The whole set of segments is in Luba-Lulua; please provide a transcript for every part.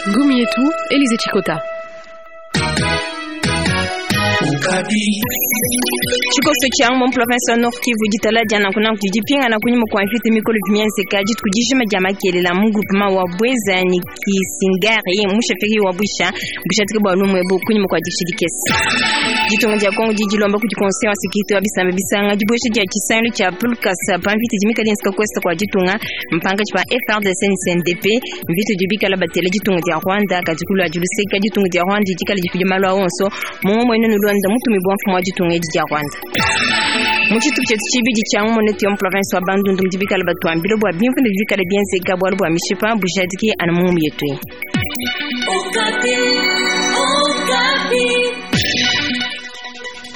Ngumu yetu Elize Chikota. Tshikoso tshia mu province wa Nord Kivu ditala dia nanku nanku didi dipingana kunyima kua mvita mikole vimienzeka dituku dijima dia makelela mu groupement wa Bweza ni Kisingari mu chefferie wa Bwisha bujadiki bua lumu ebu kunyima kua dikisha dikese. Ditunga dia Kongo didi dilomba kudi Conseil wa Securite wa bisamba bisanga dibuesha dia tshisangilu tshia Pulkasa pa mvita idi mikale yenzeka ku est kua ditunga mpankatshi pa FARDC ne CNDP. Mvita idi bikala batela ditunga dia Rwanda kadi ku luadi luseka ditunga dia Rwanda dikala difidi malu a onso mu ngomo enu nulonda mutumibue wa mfumu wa ditunga edi dia Rwanda. Mu tshitupa tshietu tshibidi tshia ngumu netu ya mu province wa Bandundu mudi bikala batuambila bua bimvundu bidi bikala bienzeka bualu bua mishipa bujadiki anu mu ngumu yetu eyi.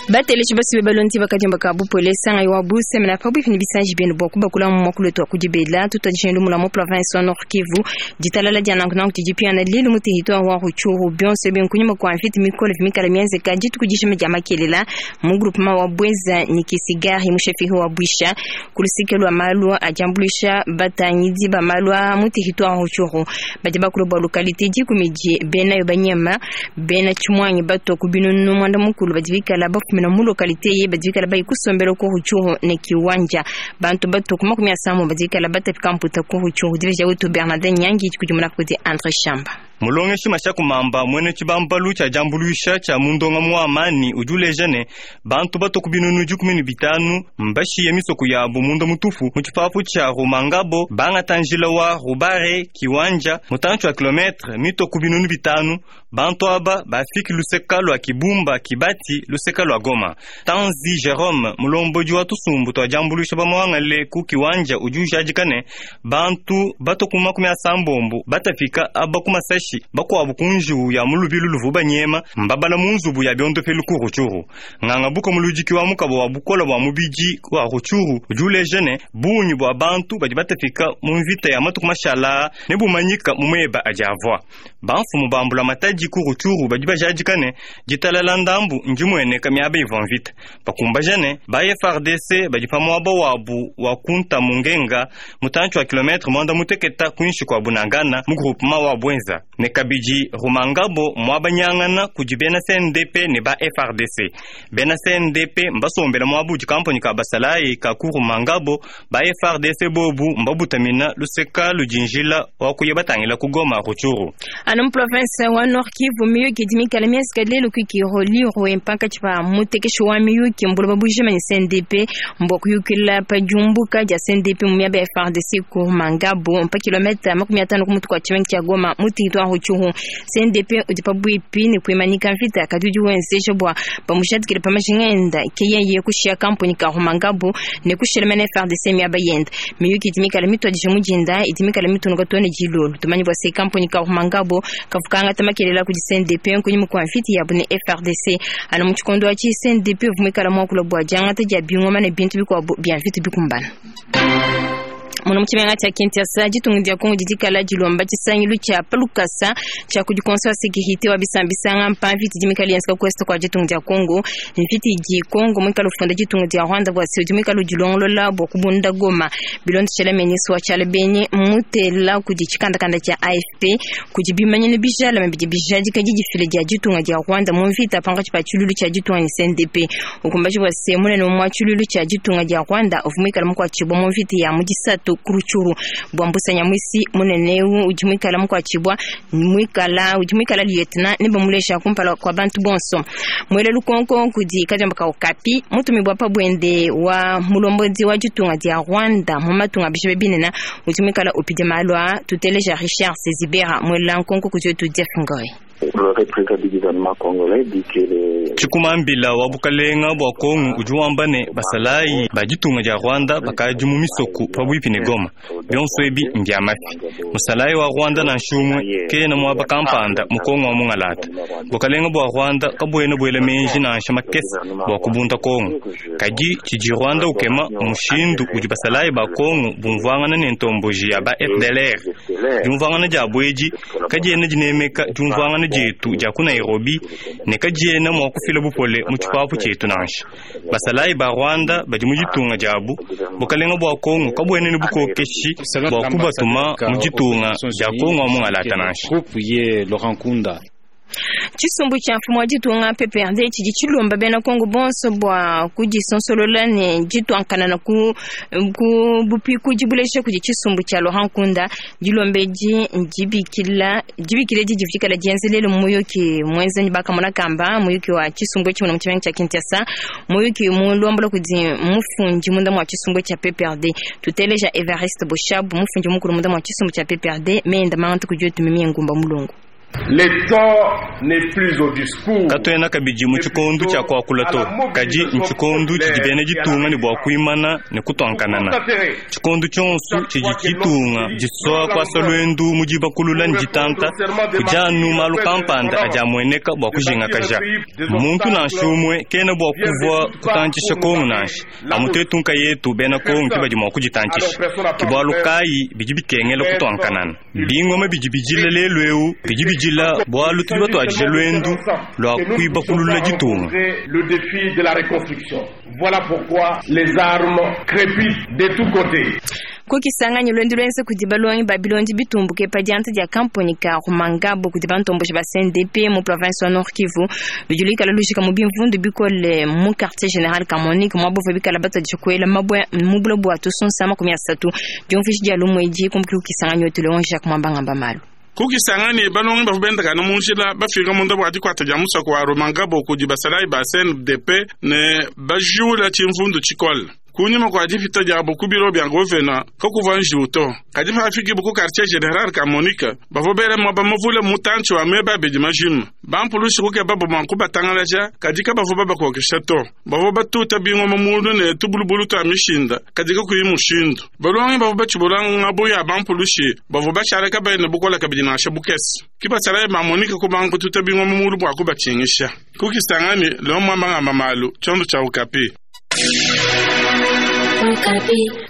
Bateleji basue balondi bakadiomba ka bupole sangayi wa busemena pabuipi ne bisanji bienu bua kubakula mu muakulu wetu wa kudibela. Tutuadije lumu lua mu province wa Nord Kivu. Ditalala dia nanku nanku didi piana lelu mu territoire wa Rutshuru. Bionso ebi nkunyima kua mvita mikole mikale mienzeka dituku dijima dia makelela mu groupement wa Bweza ne Kisigari mu chefferie wa Bwisha ku luseke lua malu a diambuluisha batangidi ba malu a mu territoire wa Rutshuru. Badi bakula bua localité dikumi di benayo banyema bena tshimuangi batua ku binunu muanda mukulu badi bikala bafumina mu localité ye badi bikala bayi kusombela ku Rutshuru ne Kiwanja. Bantu batua ku makumi asambo badi bikala batapika mputa ku Rutshuru. Dibeja wetu Bernardin Nyangi kudimuna kudi Andre Shamba. Mulongeshi Mashaku Mamba muena tshibambalu tshia diambuluisha tshia mu ndongamu wa amani udi uleja ne, bantu batua ku binunu 15 mbashiye misoko yabu munda mutupu mu tshipapu tshia Rumangabo bangata njila wa Rubare Kiwanja mutantshi wa kilometre mitue ku binunu 5. Bantu aba bafiki luseka lua Kibumba Kibati luseka lua Goma. Tanzi Jerome mulombodi wa tusumbu tua diambuluisha bamuangale ku Kiwanja udi ujadika ne, bantu batua ku 80 batapika aba ku masashi bakuabu ku njiwu ya mu lubilu luvu banyema mbabala mu nzubu ya biondopelu ku Rutshuru. Nganga buka muludiki wa mukaba wa bukola bua mubidi wa Rutshuru udi uleja ne, bungi bua bantu badi batapika mu mvita ya matuku mashala ne bumanyika mu meba adi avua. Bamfumu ba mbulamatadi ku Rutshuru badi bajadika ne, ditalala ndambu ndimueneka miaba ivua mvita. Bakumbaja ne, ba FARDC badi pa muaba wabu wa kunta mu ngenga mutantshi wa kilometre 16 kuinshi kua Bunagana mu groupement wa Bwenza ne kabidi Rumangabo muaba nyangana kudi bena CNDP ne ba FARDC. Bena CNDP mbasombela muaba udi kampani ka basalayi ka ku Rumangabo, ba FARDC bobu mbabutamina luseka ludi njila wa kuya batangila ku Goma Rutshuru. Anu mu province wa Nord Kivu miyuki idi mikale mienzeka lelu ku Kirolirwe mpankatshi pa mutekeshi wa miyuki mbuloba bujima ne CNDP mbua kuyukila pa diumbuka dia CNDP mu miaba ya FARDC ku Rumangabo mpa kilometa 50 ku mutu kua tshimenga tshia Goma mu territoire Rutshuru. CNDP udi pabuipi ne kuimanyika mvita kadi udi wenzeja bua bamushadikile pa majinga enda ke yeye kushiya kampuni ka Rumangabo ne kushila mene FARDC miaba yenda. Miyuki idi mikale mituadije mu dinda idi mikale mitunuka too ne dilolo. Tumanye bua se kampuni ka Rumangabo kavua kangata makelela kudi CNDP nkunyima kua mvita yabu ne FARDC. Anu mu tshikondo atshi CNDP uvua muikale muakula bua diangata dia bingoma ne bintu bikuabu bia mvita bikumbana. Muno mu tshimenga tshia Kinshasa ditunga dia Kongo didi kala dilomba tshisangilu tshia palukasa tshia kudi Conseil wa Sécurité wa bisambisanga mpa mvita idi mikale yenzeka ku est kua ditunga dia Kongo. Mvita idi Kongo muikale ufunda ditunga dia Rwanda bua se udi muikale udilongolola bua kubunda Goma. Bilondeshela ministre wa tshiala benyi mutela kudi tshikandakanda tshia AFP kudi bimanyinu bijalame bidi bijadika didifila dia ditunga dia Rwanda mu mvita pankatshi pa tshilulu tshia ditunga ne CNDP. Ukumbaji bua se munene wa tshilulu tshia ditunga dia Rwanda uvua muikale mukuatshibua mu mvita ya mu disatu ku Rutshuru. Bua Mbusa Nyamwisi munene udi muikale mukuatshibua muikala udi muikala lieutenant ne bamulesha kumpala kwa bantu bonso. Mwele lukonko kudi kadiomba ka Okapi mutumibua pa bwende wa mulombodi wa ditunga dia Rwanda mu matunga bishobe binene udi muikala upidi malu a tuteleja Richard Sezibera mwele nkonko kudi wetu Jeff Ngoi. Le représentant du gouvernement congolais dit que les Tshikumambila wa bukalenga bua Kongo udi wamba ne basalayi ba ditunga dia Rwanda bakadi mu misoko pabuipi ne Goma. Bionso ebi mbia mafi. Musalayi wa Rwanda na nshumwe kena muaba kampanda mu Kongo wa mungalata. Bukalenga bua Rwanda kabuena buela menji nansha makese bua kubunda Kongo. Kadi tshidi Rwanda ukema mushindu udi basalayi ba Kongo bumvuangana ne ntomboji ya ba FDLR. Diumvuangana diabu edi kadiena dinemeka diumvuangana dietu dia ku Nairobi ne kadiena mua kufila bupole mu tshipapu tshietu nansha. Basalayi ba Rwanda badi mu ditunga diabu, bukalenga bua Kongo kabuena ne bukokeshi bua kubatuma mu ditunga dia Kongo wa mungalata nansha. Tshisumbu tshia mfumu wa ditunga PPRD tshidi tshilomba bena Kongo bonso bua kudisonsolola ne dituankanana ku ku bupikudi bulesha kudi tshisumbu tshia Laurent Nkunda. Dilomba edi ndibikila dibikila edi divikala dienzelele muyuki muenza ne bakamona kamba muyuki wa tshisumbu etshi mu tshimenga tshia Kinshasa, muyuki mulombola kudi mufundi munda mua tshisumbu tshia PPRD. Tuteleja Evariste Boshab, mufundi mukulu munda mua tshisumbu tshia PPRD, menda mangata kudi otumimie ngumba mulongo. Le temps n'est plus au discours. Katuena kabidi mu tshikondu tshia kuakula to, kadi ntshikondu tshidi bena ditunga ne bua kuimana ne kutuankanana. Tshikondu tshionso tshidi ditunga disua kuasa luendu mu dibakulula ne ditanta, kudi anu malu kampanda adi amueneka bua kujingakaja. Muntu nansha umue kena bua kuvua kutantshisha Kongo nansha, amu tuetu nkayetu bena Kongo ke badi mua kuditantshisha. Ke bualu kayi bidi bikengela kutuankanana. Bingoma bidi bijila lelu eu bidi bijila bualu tudi batuadija luendu lua kuibakulula ditunga. Le défi de la reconstruction. Voilà pourquoi les armes crépitent de tous côtés. Kukisanganya luendu luenza kudi balongi ba bilondi bitumbuke pa dianta dia kamponi ka Rumangabo kudi bantomboshi ba CNDP mu province wa Nord Kivu ludi luikala lujika mu bimvundu bikole mu quartier général Kamonik mwabo bikala batadisha kuela mabwe mu bulo bua tusonsa 30 diumvishi dia lumweji kumbuki kukisanganya wetu Leon Jacques Mwambangamba malu. Kukisangani balongi bavua bendakana mu njila bafika munda bua dikwata dia musoko wa Rumangabo kudi basalayi ba CNDP ne bajula tshimvundu tshikole. Kunyima kua dipita diabo ku biro bia govena kakuvua njiwu to, kadi pafikibu ku quartier general ka Monica bavua bela muaba muvule mutantshi wa meba abidi majima. Bampulushi kukebabo mua kubatangalaja, kadi kabavua babakokesha to. Bavua batuta bingoma mulu ne tubulubulu tua mishinda, kadi kakuyi mushindu. Balongi bavua batshibula ngabu ya bampulushi bavua bashala kabayi ne bukola kabidi nansha bukese. Ke basalayi ba Monica kubanga kututa bingoma mulu bua kubatshingisha. Kukisangani Leon Mwambangamba malu tshiondo tshia Okapi.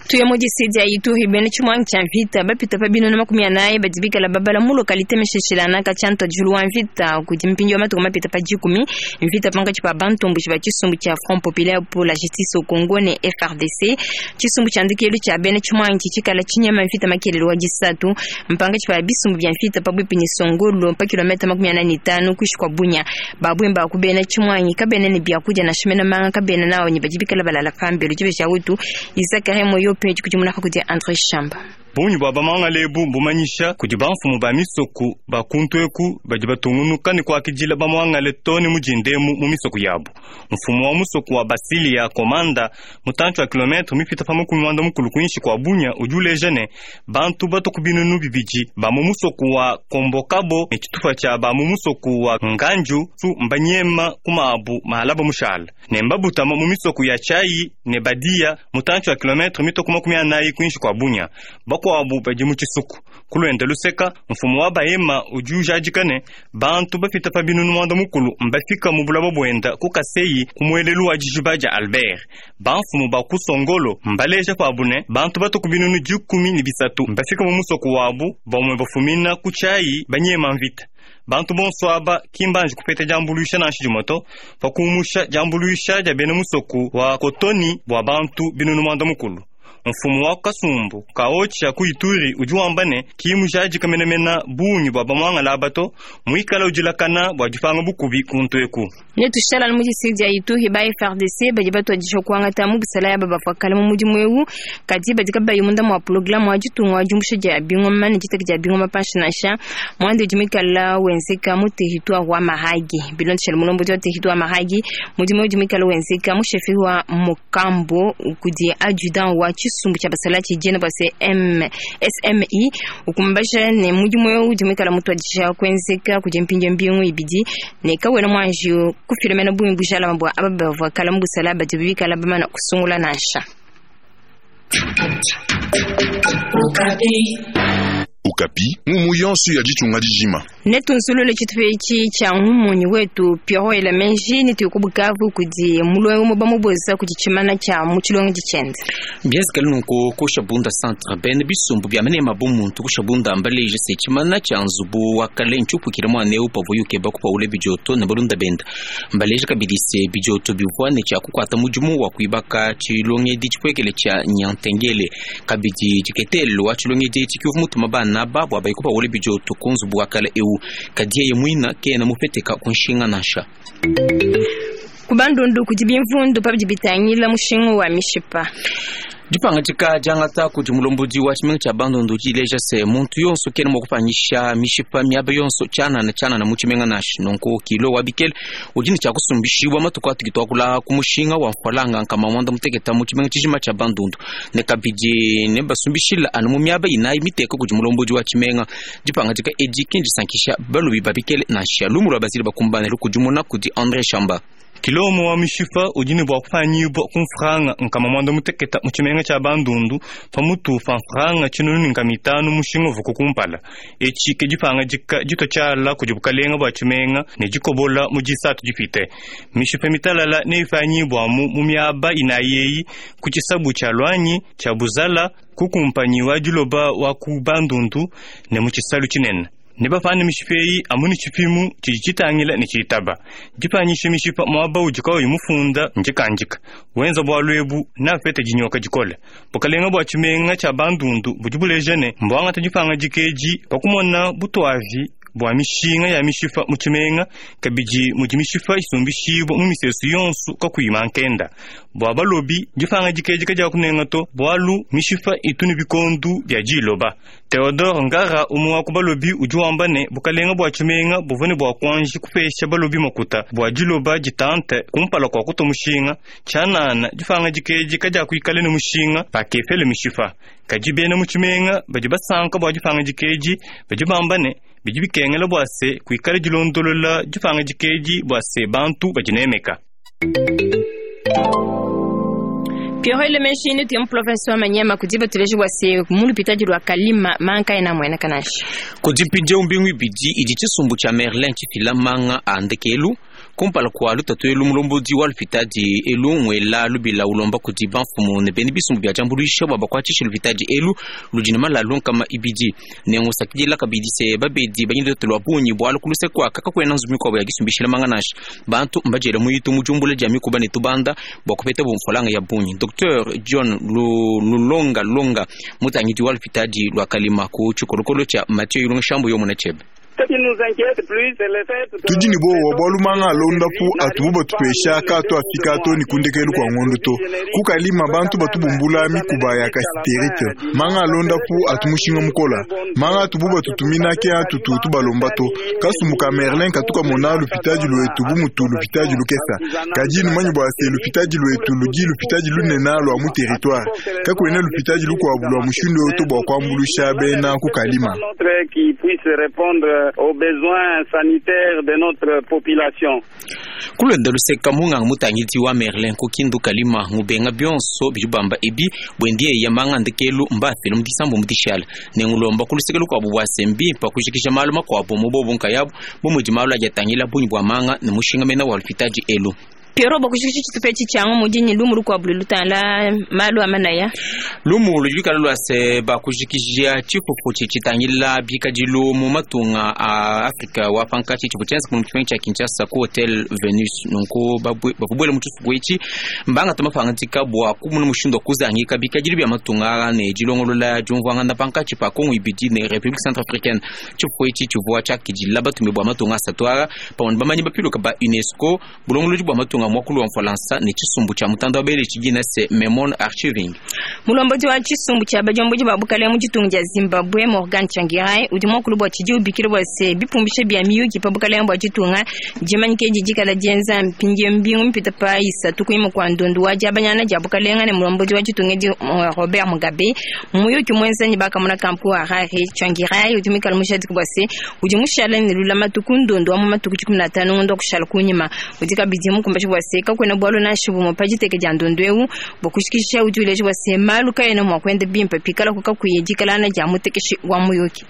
Tuye mu disidi ya Ituri bena tshimuangi tshia mvita bapita pa binunu 40 badi bikala babala mu lokalite misheshilana katshia ntuadijilu wa mvita kudi mpindieu wa matuku mapita pa dikumi. Mvita pankatshi pa bantomboshi ba tshisumbu tshia Front Populaire pour la Justice au Congo ne FARDC. Tshisumbu tshia ndekelu tshia bena tshimuangi tshikala tshinyema mvita makelelo wa disatu mpankatshi pa bisumbu bia mvita pabuipi ne Songolo pa kilomita 45 kuishi kwa Bunya. Babwemba ku bena tshimuangi kabena ne biakudia nansha mena manga kabena nao ne badi bikala balala pambelu tshibe tshia utu Isakare Moyo pe kudi kudi Andre Shamba. Bungi bua bamangala ebu mbumanyisha kudi bamfumu ba misoku ba kuntu eku badi batungunuka ne kuakidila bamuangale to ne mudindemu mu misoku yabu. Mfumu wa musoku wa Basilia Komanda mutantshi wa kilometre mipita pa 90 kuinshi kua Bunya udi uleja ne bantu batu ku binunu bibidi ba mu musoku wa Kombokabo ne tshitupa tshia ba mu musoku wa Nganju su mbanyema ku mabu mahalaba mushala ne mbabutama mu misoku ya Chai ne Badia mutantshi wa kilometre mitoku 40 kuinshi kua Bunya. Bakuabu badi mu tshisuku kulwenda luseka. Mfumu wa Bahema udi ujadika ne bantu bapita pa binunu 90 mbafika mu bulaba bwenda ku Kaseyi ku muelelu wa dijiba dia Albert. Bamfumu ba ku Songolo mbaleja pabu ne bantu batu ku binunu 13 mbafika mu musoku wabu bamwe bafumina ku Chai banyema mvita. Bantu bonso aba kimbanji kupeta diambuluisha nansha dimue to, pa kumusha diambuluisha dia bena musoku wa Kotoni bua bantu binunu 90. Mfumu wa kasumbu kaocha ku Ituri udi wamba ne kimujadika menamena bungi bua bamuangala aba to, muikala udilakana bua dipanga bukubi kuntu eku. Ne tushala mu district dia Ituri ba FARDC badi batuadija kuangata mu busala ya bavua kale mu mudimu eu, kadi badi kabayi munda mua programme wa ditunga wa diumbusha dia bingoma ne diteka dia bingoma panshi nansha mwande udi muikala wenzeka mu territoire wa Mahagi. Bilondeshele mulombodi wa territoire wa Mahagi, mudimu udi muikala wenzeka mu chef wa Mukambo kudi adjudant wa tshisumbu tshia basala tshijena bua SMI ukumbaja ne mudimu eu udi muikala mutuadija kuenzeka kudi mpindieu mbingu ibidi ne kawena muanji kufilemena bungi bujalama bua aba bavua kala mu busala badi bikala bamana kusungula nansha. Okapi, ngumu yonso ya ditunga dijima. Netunzulule tshitupa etshi tshia ngumunyi wetu Pierrot Elameji ne tuye ku Bukavu kudi mulongi umue bamuboza kudi tshimana tshia mu tshilongedi tshiende. Mbienzekele nunku ku Shabunda Centre, bena bisumbu bia manema bu muntu ku Shabunda mbaleje se tshimana tshia nzubu wa kale ntshiupukile muana eu pavuaye ukeba kupawula bidioto ne balunda bende. Mbaleje kabidi se bidioto bivua ne tshia kukuata mudimu wa kuibaka tshilongedi tshipuekele tshia Nyantengele. Kabidi diketelo wa tshilongedi etshi ke uvua mutuma bana aba bua baye kupawula bidioto ku nzubu wa kale eu, kadi yeye muine kena mupeteka ku nshinga nansha. Ku Bandundu kudi bimvundu pa bidi bitangila mushinga wa mishipa. Dipangadika diangata kudi mulombodi wa tshimenga tshia Bandundu didi dileja se, muntu yonso kena mua kupanyisha mishipa miaba yonso tshianana tshianana mu tshimenga nansha. Nunku kilo wa bikele udi ne tshia kusumbishibua matuku atudi tuakula ku mushinga wa mfualanga nkama muanda muteketa mu tshimenga tshijima tshia Bandundu ne kabidi nebasumbishila anu mu miaba inayi miteka kudi mulombodi wa tshimenga. Dipangadika edi ki ndisankisha balobi ba bikele nansha. Lumu lua Basile Bakumbane lukudimuna kudi Andre Shamba. Kilo umue wa mishipa udi ne bua kupanyibua ku mfranga nkama muanda muteketa mu tshimenga tshia Bandundu pamutu pa mfranga tshinunu ne nkama itanu mushinga uvuaku kumpala. Etshi ke dipangadika ditua tshiala kudi bukalenga bua tshimenga ne dikobola mu Disatu dipite. Mishipa mitalala neyipanyibua amu mu miaba inayi eyi, ku tshisabu tshia Luanyi, tshia Buzala, ku kumpanyi wa diloba wa ku Bandundu ne mu tshisalu tshinene. Nebapane mishipa eyi amu ne tshipimu tshidi tshitangila ne tshitaba. Dipanyisha mishipa muaba udi kawuyi mufunda ndikandika. Wenza bualu ebu neapete dinyoka dikole. Bukalenga bua tshimenga tshia Bandundu budi buleja ne, mbuangate dipangadika edi pa kumona butuavi bua mishinga ya mishipa mu tshimenga, kabidi mudi mishipa isumbishibua mu misesu yonso kakuyi mankenda. Bua balobi, dipangadika edi kadiakunenga to, bualu mishipa itu ne bikondo bia diloba. Theodore Ngara, umue wa ku balobi, udi wamba ne, bukalenga bua tshimenga buvua ne bua kuanji kupesha balobi makuta bua diloba ditante kumpala kua kutua mushinga. Tshianana, dipangadika edi kadiakuikala ne mushinga pakepela mishipa. Kadi bena mu tshimenga badi basanka bua dipangadika edi, badi bamba ne, bidi bikengela bua se kuikala dilondolola dipangadika edi bua se bantu badinemeka. Pierrot Elameji ne tuye mu province wa Maniema kudi batuleji bua se mu lupitadi lua Kalima manga kaena amueneka nansha. Kudi mpindieu mbingu ibidi idi tshisumbu tshia Merlin tshifila manga a ndekelu kumpala kua lutatu elu. Mulombodi wa lupitadi elu ngwela lubila ulomba kudi bamfumu ne bena bisumbu bia diambuluisha bua bakuatshishe lupitadi elu ludi ne malalu nkama ibidi ne ngusakidila kabidi se babedi badi ne lutatu lua bungi bualu ku luse kuaka kakuena nzubu mikuabu ya disumbishila manga nansha. Bantu mbadiele mu itu mu diumbula dia mikuba ne tubanda bua kupeta mfualanga ya bungi. Dr John Lulonga Longa, mutangidi wa lupitadi lua Kalima ku tshikolokolo tshia Mathieu Ilunga Shambu yomuna tshiebe. Tudi ne buowa bualu manga a luondapu atubu batupesha kaatu afika too ne ku ndekelu kua ngondo to. Ku Kalima bantu batu bumbula mikuba ya kasiterite. Manga a luondapu atu mushinga mukola. Manga atubu batutumina ke atutu tubalomba to. Kasumbu ka Merlin katu kamona lupitadi luetu bu mutu lupitadi lukesa. Kadi numanye bua se lupitadi luetu ludi lupitadi lunene lua mu territoire. Kakuena lupitadi lukuabu lua mushindu eu to bua kuambuluisha bena ku Kalima. Aux besoins sanitaires de notre population. Kulwenda luseka munganga mutangidi wa Merlin ku Kindu Kalima ngubenga bionso bidi bamba ebi bwendiye ya manga ndekelu mbafile mu disambu mu dishala ne ngulomba ku luseke lukuabu bua se mbimpa kujikija malu makuabu mu bobu nkayabu bu mudi malu adi atangila bungi bua manga ne mushinga mena wa lupitadi elu. Pierrot, bua kujikija tshitupa etshi tshia mudi ne lumu lukuabu lutangila malu a manaya. Lumu ludi lukala lua se bakujikija tshifufu tshitangila bikadilu mu matunga a Afrika wa pankatshi tshivua tshienza mu tshimenga tshia Kinshasa ku Hotel Venus. Nunku bakubuela mu tshifufu etshi mbangata mapangadika bua kumona mushindu wa kuzangika bikadilu bia matunga aa ne dilongolola diumvuangana pankatshi pa Kongo ibidi ne République Centrafricaine. Tshifufu etshi tshivua tshiakidila batumi bua matunga asatu aa pamue ne bamanyi bapiluka ba UNESCO, bulongolodi bua matunga muakulu wa Mfalansa ne tshisumbu tshia mutanda wa bele tshidina se Memon Archiving. Mulombodi wa tshisumbu tshia badiomboji ba bukalenge mu ditunga dia Zimbabwe, Morgan Tsvangirai, udi muakulu bua tshidi ubikila bua se bipumbisha bia miyuki pa bukalenge bua ditunga dimanyike edi dikala dienza mpindieu mbingu mipite pa isatu kunyima kua ndondu wa diabanyana dia bukalenge ne mulombodi wa ditunga edi Robert Mugabe. Muyuki muenza ne bakamona kampu Harare, Tsvangirai udi muikale mujadiki bua se udi mushala ne lulamatu ku ndondu wa mu matuku 15 ngondo wa kushala kunyima. Udi kabidi mukumbashi bua se kakuena bualu nansha bumue pa diteke dia ndondu eu. Bua kushikisha udi uleja bua se malu kaena mua kuenda bimpe pikalaku kakuyi dikalana dia mutekeshi wa muyuki.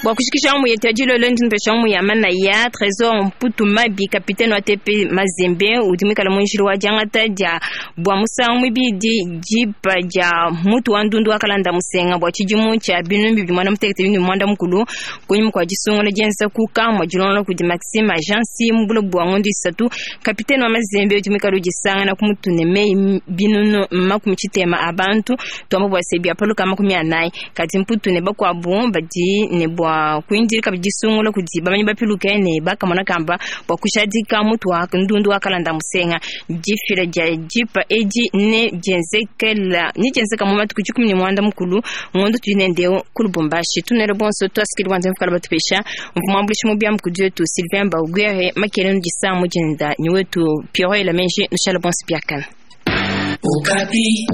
Bua kushikisha mu yetu ya dilolo, ndi nupesha mu ya manaya Trésor Mputu Mabi, kapitene wa TP Mazembe, udi muikala mu njila wa diangata dia bua musangu muibidi dipa dia mutu wa ndundu wa kalanda musenga bua tshidimu tshia binunu bibidi muanda mutekete bibidi muanda mukulu, kunyima kua disungula dienza ku kamua dilongolola kudi Maxime Agency mu buloba bua ngondo isatu. Kapitene wa Mazembe udi muikala udisangana ku mutu ne meyi 60 000 a bantu, tuamba bua se bia paluka 40, kadi Mputu ne bakuabu badi ne bua kuindila kabidi disungula kudi bamanyi bapiluke ne bakamona kamba bua kushadika mutu wa ndundu wa kalanda musenga. Difila dia dipa edi ne dienzekela ne dienzeka mu matuku 19 ngondo tudi nendeu ku Lubumbashi. Tunele bonso twasikili wanza mfukala batupesha mvumwambulishi mu biamu kudi wetu Sylvain Baugwere makele nudisa mujinda ni wetu Pierrot Elamenji, nushala bonso biakana. Okapi.